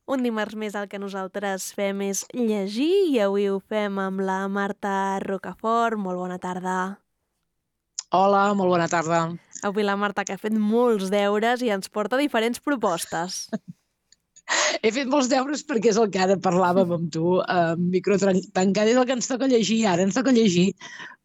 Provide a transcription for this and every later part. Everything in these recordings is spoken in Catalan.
Un dimarts més el que nosaltres fem és llegir i avui ho fem amb la Marta Rocafort. Molt bona tarda. Hola, molt bona tarda. Avui la Marta, que ha fet molts deures i ens porta diferents propostes. He fet molts deures perquè és el que ara parlàvem amb tu, micro tancat, és el que ens toca llegir ara, ens toca llegir,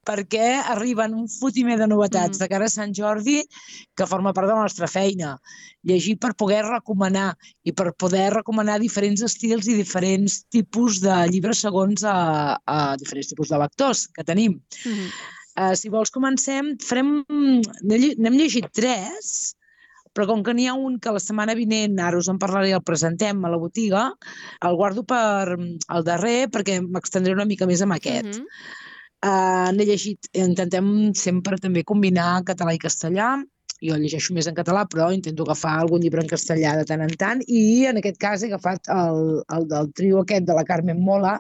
perquè arriben un fotimer de novetats de cara a Sant Jordi que forma part de la nostra feina. Llegir per poder recomanar i per poder recomanar diferents estils i diferents tipus de llibres segons a diferents tipus de lectors que tenim. Si vols comencem, n'hem llegit 3, però com que n'hi ha un que la setmana vinent, ara us en parlaré i el presentem a la botiga, el guardo per el darrer perquè m'extendré una mica més amb aquest. N'he llegit, intentem sempre també combinar català i castellà. Jo llegeixo més en català, però intento agafar algun llibre en castellà de tant en tant, i en aquest cas he agafat el del trio aquest de la Carmen Mola,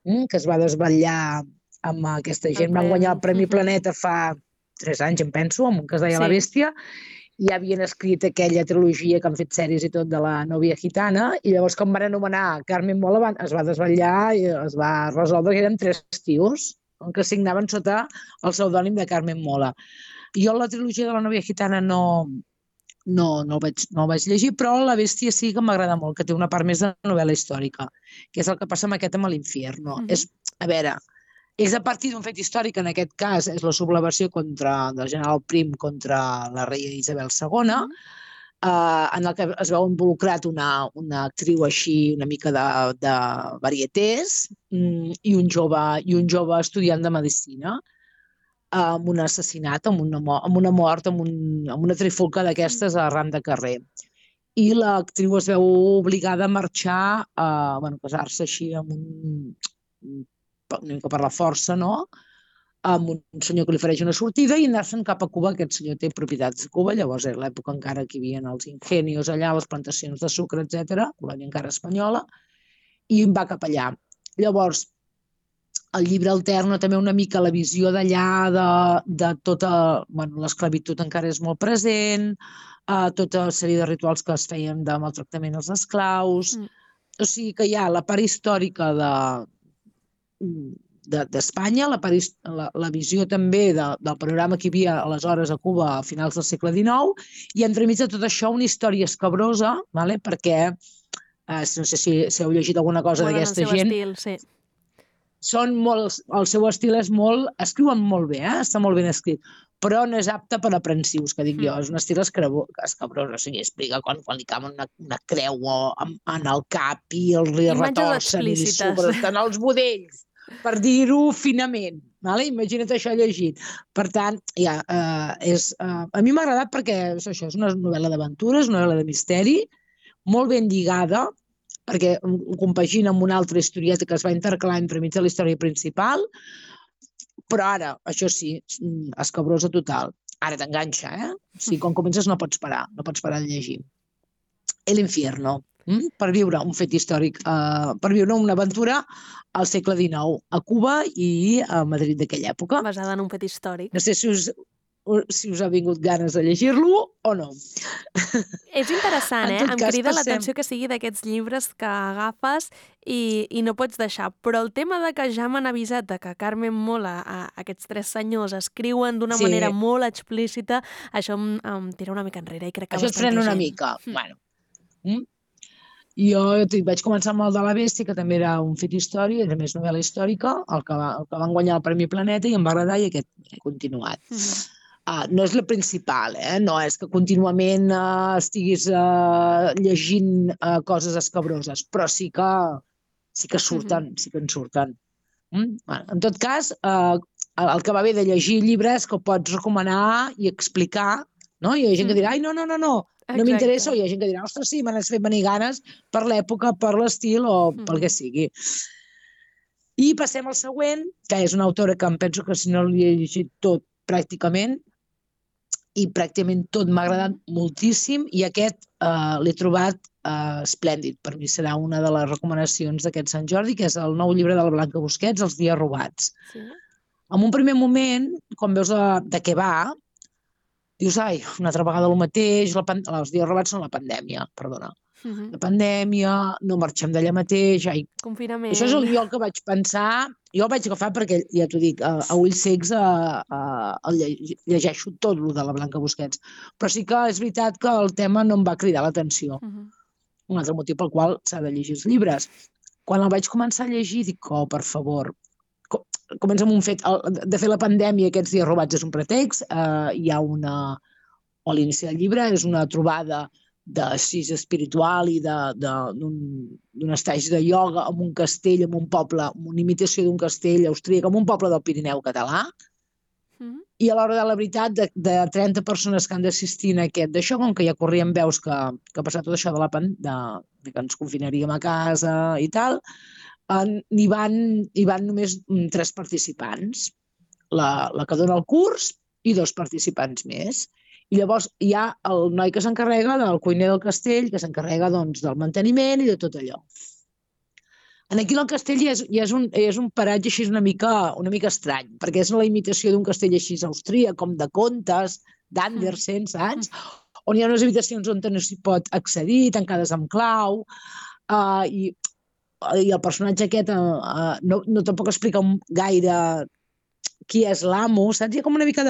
que es va desvetllar amb aquesta gent. Van guanyar el Premi Planeta fa 3 anys, em penso, amb un que es deia La Bèstia, i ja havien escrit aquella trilogia que han fet sèries i tot de la Novia Gitana, i llavors quan van anomenar Carmen Mola es va desvetllar i es va resoldre que eren 3 tios que signaven sota el pseudònim de Carmen Mola. Jo la trilogia de la Novia Gitana no el vaig llegir, però La Bèstia sí que m'agrada molt, que té una part més de novel·la històrica, que és el que passa amb aquest amb l'Infierno. A veure, és a partir d'un fet històric, en aquest cas és la sublevació del general Prim contra la reina Isabel II, en el que es veu involucrat una actriu així una mica de varietés i un jove estudiant de medicina, amb un assassinat, amb una mort, amb una trifulca d'aquestes arran de carrer. I l'actriu es veu obligada a marxar, a casar-se així una mica per la força, no?, amb un senyor que li ofereix una sortida i anar-se'n cap a Cuba. Aquest senyor té propietats a Cuba, llavors era l'època encara que hi havia els ingenios allà, les plantacions de sucre, etc., colònia encara espanyola, i va cap allà. Llavors, el llibre alterna també una mica la visió d'allà, de tota l'esclavitud encara és molt present, tota la sèrie de rituals que es feien de maltractament als esclaus. O sigui que hi ha la part històrica d'Espanya, la visió també del panorama que hi havia aleshores a Cuba a finals del segle XIX, i entremig de tot això una història escabrosa, perquè no sé si heu llegit alguna cosa d'aquesta gent. Estil, sí. El seu estil és molt... Escriuen molt bé, està molt ben escrit, però no és apte per aprensius, que dic jo. És un estil escabrós, o sigui, explica quan li camen una creu en el cap i li retorcen i li sobresten els budells, per dir-ho finament. Imagina't això llegit. Per tant, a mi m'ha agradat perquè això és una novel·la d'aventures, una novel·la de misteri, molt ben lligada, perquè ho compagina amb una altra historieta que es va intercalar entremig de la història principal, però ara, això sí, escabrosa total. Ara t'enganxa, O sigui, quan comences no pots parar de llegir. L'Infierno, per viure un fet històric, per viure una aventura al segle XIX, a Cuba i a Madrid d'aquella època. Basada en un fet històric. No sé si us ha vingut ganes de llegir-lo o no. És interessant, Em crida l'atenció que sigui d'aquests llibres que agafes i no pots deixar, però el tema de que ja m'han avisat de que Carmen Mola, aquests 3 senyors, escriuen d'una manera molt explícita, això em tira una mica enrere i crec que això et frena una mica. Jo vaig començar amb el de La Bèstia, que també era un fet històric, era més novel·la històrica, el que van guanyar el Premi Planeta, i em va agradar i aquest he continuat. No és la principal, no és que contínuament estiguis llegint coses escabroses, però sí que surten, sí que en surten. En tot cas, el que va bé de llegir llibres és que ho pots recomanar i explicar, no? Hi ha gent que dirà, ai, no m'interessa, o hi ha gent que dirà, ostres, sí, m'han fet venir ganes per l'època, per l'estil o pel que sigui. I passem al següent, que és una autora que em penso que si no l'he llegit tot pràcticament, i pràcticament tot m'ha agradat moltíssim, i aquest l'he trobat esplèndid. Per mi serà una de les recomanacions d'aquest Sant Jordi, que és el nou llibre de la Blanca Busquets, Els dies robats. En un primer moment, quan veus de què va, dius, ai, una altra vegada el mateix, els dies robats són la pandèmia, perdona. La pandèmia, no marxem d'allà mateix... Confinament. Això és jo el que vaig pensar. Jo el vaig agafar perquè, ja t'ho dic, a ulls cecs llegeixo tot el de la Blanca Busquets. Però sí que és veritat que el tema no em va cridar l'atenció. Un altre motiu pel qual s'ha de llegir els llibres. Quan el vaig començar a llegir, dic, oh, per favor, comença amb un fet. De fer la pandèmia, aquests dies robats és un pretext. Hi ha una... O l'inici del llibre és una trobada d'assís espiritual i d'un estagi de ioga en un castell, en un poble, amb una imitació d'un castell austríac, en un poble del Pirineu català. I a l'hora de la veritat, de 30 persones que han d'assistir a aquest d'això, com que ja corrien veus que ha passat tot això de que ens confinaríem a casa i tal, hi van només 3 participants. La que dona el curs i 2 participants més. I llavors hi ha el noi que s'encarrega del cuiner del castell, que s'encarrega del manteniment i de tot allò. Aquí el castell és un paratge així una mica estrany, perquè és la imitació d'un castell així austríac, com de contes, d'Andersen, saps? On hi ha unes habitacions on no s'hi pot accedir, tancades amb clau, i el personatge aquest no tampoc explica gaire qui és l'amo, saps? Hi ha com una mica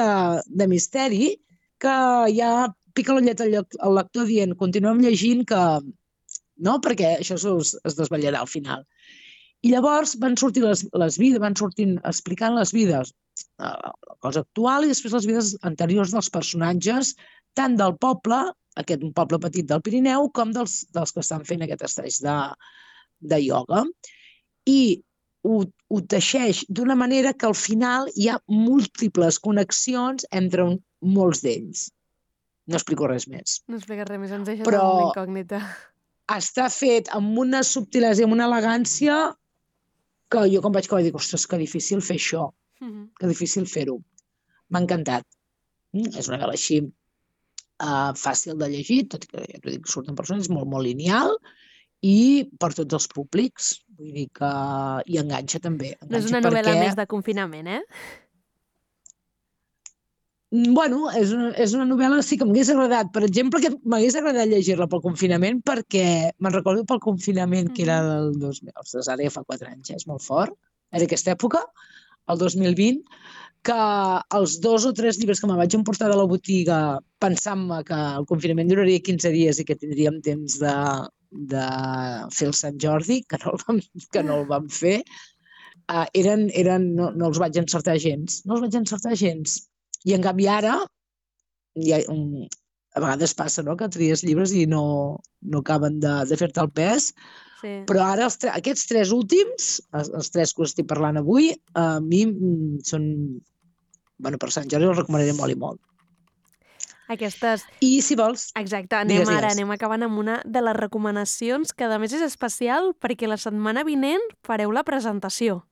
de misteri, que ja pica l'ullet al lector dient continuem llegint que no, perquè això es desvetllarà al final. I llavors van sortir les vides, van sortint explicant les vides, la cosa actual i després les vides anteriors dels personatges, tant del poble, un poble petit del Pirineu, com dels que estan fent aquest estaix de ioga. I ho teixeix d'una manera que al final hi ha múltiples connexions entre molts d'ells. No explico res més. No expliques res més, ens deixes amb una incògnita. Està fet amb una subtilesa i amb una elegància que jo quan vaig acabar dic, ostres, que difícil fer això, que difícil fer-ho. M'ha encantat. És una novel·la així fàcil de llegir, tot i que ja t'ho dic, surten persones, molt, molt lineal, i per tots els públics. Vull dir que hi enganxa també. No és una novel·la més de confinament, eh? Bueno, és una novel·la sí que m'hagués agradat. Per exemple, que m'hagués agradat llegir-la pel confinament perquè me'n recordo pel confinament que era del 2000, ostres, ara ja fa 4 anys, és molt fort, era aquesta època, el 2020, que els 2 o 3 llibres que me vaig emportar de la botiga pensant-me que el confinament duraria 15 dies i que tindríem temps de fer el Sant Jordi, que no el vam fer, no els vaig encertar gens. No els vaig encertar gens. I en canvi ara, a vegades passa que tries llibres i no acaben de fer-te el pes, però ara aquests 3 últims, els 3 que us estic parlant avui, a mi són... per Sant Jordi els recomanaré molt i molt. I si vols... Exacte, anem acabant amb una de les recomanacions que a més és especial perquè la setmana vinent fareu la presentació.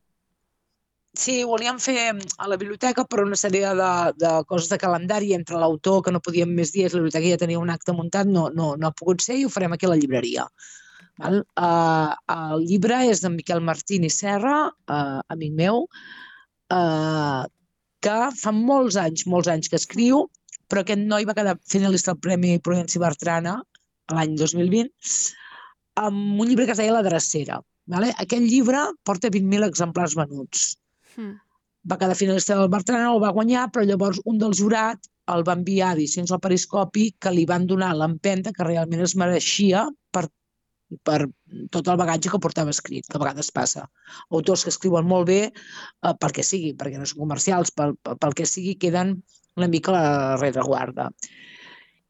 Sí, volíem fer a la biblioteca per una sèrie de coses de calendari entre l'autor, que no podíem més dies, la biblioteca ja tenia un acte muntat, no ha pogut ser i ho farem aquí a la llibreria. El llibre és d'en Miquel Martín i Serra, amic meu, que fa molts anys que escriu, però aquest noi va quedar finalista al Premi Prudenci Bertrana l'any 2020 amb un llibre que es deia La Drecera. Aquest llibre porta 20.000 exemplars venuts. Va quedar finalista del Bertrana, el va guanyar, però llavors un del jurat el va enviar a edicions al Periscopi que li van donar l'empenta que realment es mereixia per tot el bagatge que portava escrit, que a vegades passa. Autors que escriuen molt bé, perquè no són comercials, pel que sigui, queden una mica a la rereguarda.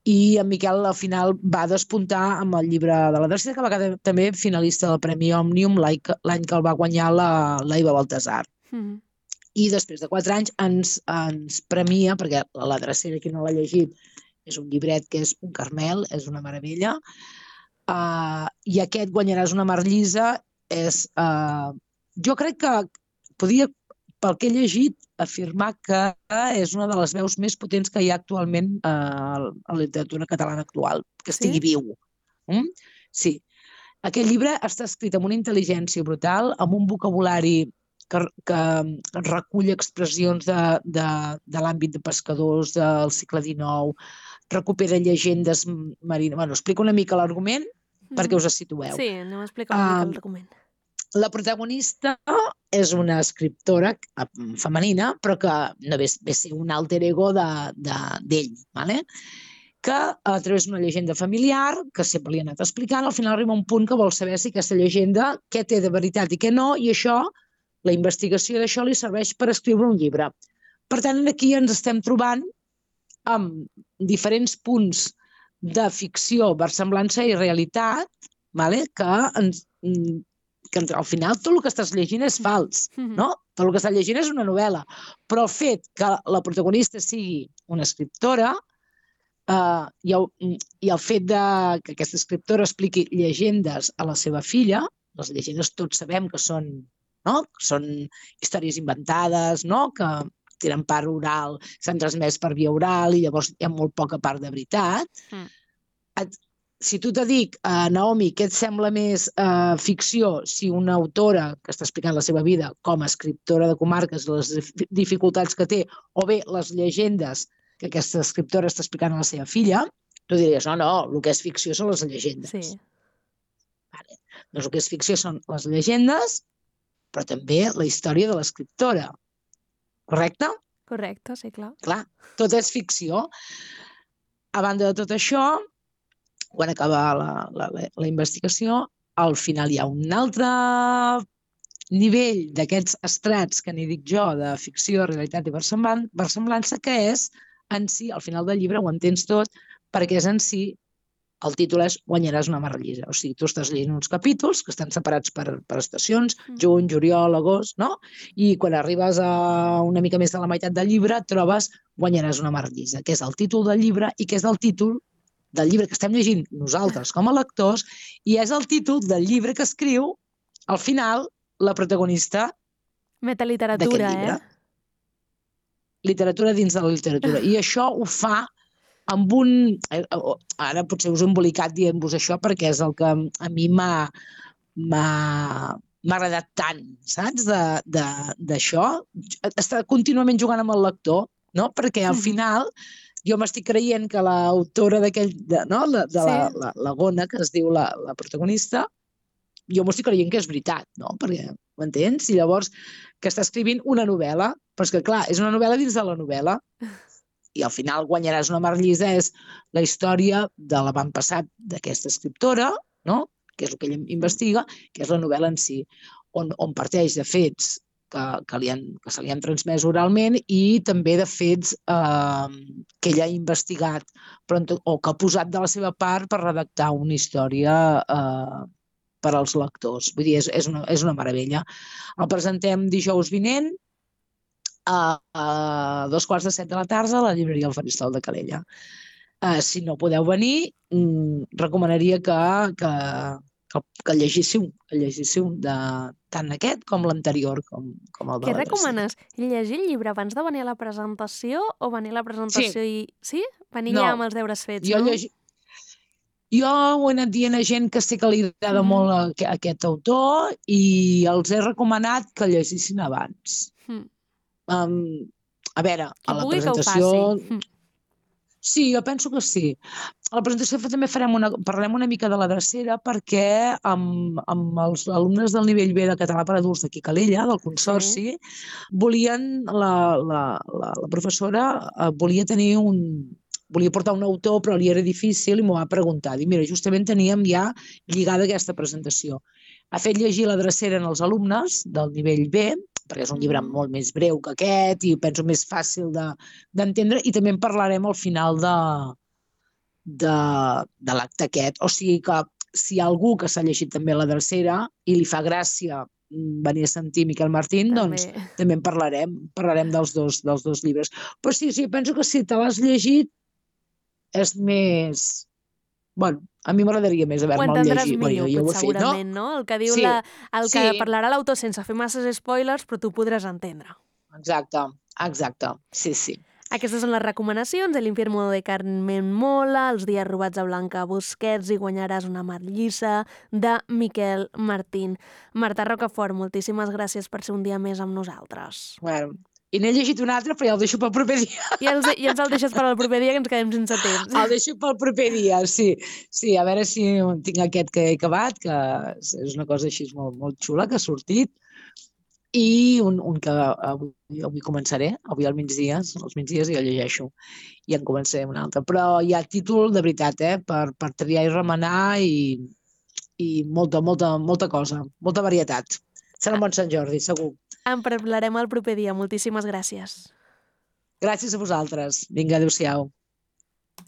I en Miquel al final va despuntar amb el llibre de La Drecera, que va quedar també finalista del Premi Òmnium l'any que el va guanyar l'Aiva Baltasar. I després de 4 anys ens premia, perquè La Drecera, qui no l'ha llegit, és un llibret que és un caramel, és una meravella, i aquest Guanyaràs una mar llisa jo crec que podia, pel que he llegit, afirmar que és una de les veus més potents que hi ha actualment a la literatura catalana actual, que estigui viu. Sí. Aquest llibre està escrit amb una intel·ligència brutal, amb un vocabulari que recull expressions de l'àmbit de pescadors del segle XIX, recupera llegendes marines... Explica una mica l'argument perquè us situeu. Sí, anem a explicar una mica el document. La protagonista és una escriptora femenina, però que no ve a ser un alter ego d'ell, ¿vale? Que a través d'una llegenda familiar, que sempre li ha anat explicant, al final arriba un punt que vol saber si aquesta llegenda què té de veritat i què no, i això, la investigació d'això li serveix per escriure un llibre. Per tant, aquí ens estem trobant amb diferents punts de ficció, versemblança i realitat, ¿vale? Que al final tot el que estàs llegint és fals, no? Tot el que estàs llegint és una novel·la, però el fet que la protagonista sigui una escriptora i el fet que aquesta escriptora expliqui llegendes a la seva filla, les llegendes tots sabem que són històries inventades, no? Que tenen part oral, s'han transmès per via oral i llavors hi ha molt poca part de veritat. Si tu te dic, Naomi, què et sembla més ficció si una autora que està explicant la seva vida com a escriptora de comarques, les dificultats que té, o bé les llegendes que aquesta escriptora està explicant a la seva filla, tu diries, no, el que és ficció són les llegendes. Sí. Vale. Doncs el que és ficció són les llegendes, però també la història de l'escriptora. Correcte? Correcte, sí, clar. Clar, tot és ficció. A banda de tot això, quan acaba la investigació, al final hi ha un altre nivell d'aquests estrats que n'hi dic jo, de ficció, realitat i versemblança, que és en si, al final del llibre ho entens tot, perquè és en si, el títol és Guanyaràs una marrallissa. O sigui, tu estàs llegint uns capítols que estan separats per estacions, juny, juliol, agost, no? I quan arribes a una mica més de la meitat del llibre, trobes Guanyaràs una marrallissa, que és el títol del llibre i que és el títol del llibre que estem llegint nosaltres com a lectors, i és el títol del llibre que escriu, al final, la protagonista metaliteratura, llibre. Literatura dins de la literatura. I això ho fa amb un... Ara potser us he embolicat dient-vos això perquè és el que a mi m'ha agradat tant, saps, d'això. Està contínuament jugant amb el lector, no? Perquè al final jo m'estic creient que l'autora d'aquell, la Gona, que es diu la protagonista, jo m'ho estic creient que és veritat, no? Perquè, m'entens? I llavors que està escrivint una novel·la, però és que clar, és una novel·la dins de la novel·la, i al final Guanyaràs una marrallissa és la història de l'avantpassat d'aquesta escriptora, no? Que és el que ella investiga, que és la novel·la en si, on parteix de fets que se li han transmès oralment i també de fets que ella ha investigat o que ha posat de la seva part per redactar una història per als lectors. Vull dir, és una meravella. El presentem dijous vinent a 2:45 de la tarda a la llibreria El Faristol de Calella. Si no podeu venir, recomanaria que llegíssiu tant aquest com l'anterior, com el de Què la recomanes? Llegir el llibre abans de venir a la presentació o venir a la presentació i... Sí? Venir ja amb els deures fets, no? Jo ho he anat dient a gent que sé que li agrada molt aquest autor i els he recomanat que llegissin abans. A veure, a la presentació... Sí, jo penso que sí. A la presentació també parlem una mica de la drecera perquè amb els alumnes del nivell B de català per adults d'aquí Calella, del Consorci, la professora volia portar un autor, però li era difícil i m'ho va preguntar. Dic, mira, justament teníem ja lligada aquesta presentació. Ha fet llegir la drecera en els alumnes del nivell B, perquè és un llibre molt més breu que aquest i penso més fàcil d'entendre, i també en parlarem al final de l'acte aquest. O sigui que si hi ha algú que s'ha llegit també la drecera i li fa gràcia venir a sentir Miquel Martín, doncs també en parlarem dels dos llibres. Però sí, penso que si te l'has llegit és més... Bueno, a mi m'agradaria més haver-me'l llegit. Ho entendràs millor, segurament, no? El que diu que parlarà l'autor sense fer masses spoilers, però tu podràs entendre. Exacte. Sí. Aquestes són les recomanacions de l'Infierno de Carmen Mola, Els dies robats a Blanca Busquets i Guanyaràs una marrallissa de Miquel Martín. Marta Rocafort, moltíssimes gràcies per ser un dia més amb nosaltres. Bueno, I n'he llegit un altre, però ja el deixo pel proper dia. I ens el deixes per al proper dia, que ens quedem sense temps. El deixo pel proper dia, sí. Sí, a veure si tinc aquest que he acabat, que és una cosa així molt, molt xula, que ha sortit, i un que avui començaré, avui al migdia, als migdies jo llegeixo, i en començaré un altre. Però hi ha títol, de veritat, per triar i remenar i molta cosa, molta varietat. Serà un bon Sant Jordi, segur. En parlarem el proper dia. Moltíssimes gràcies. Gràcies a vosaltres. Vinga, adéu-siau.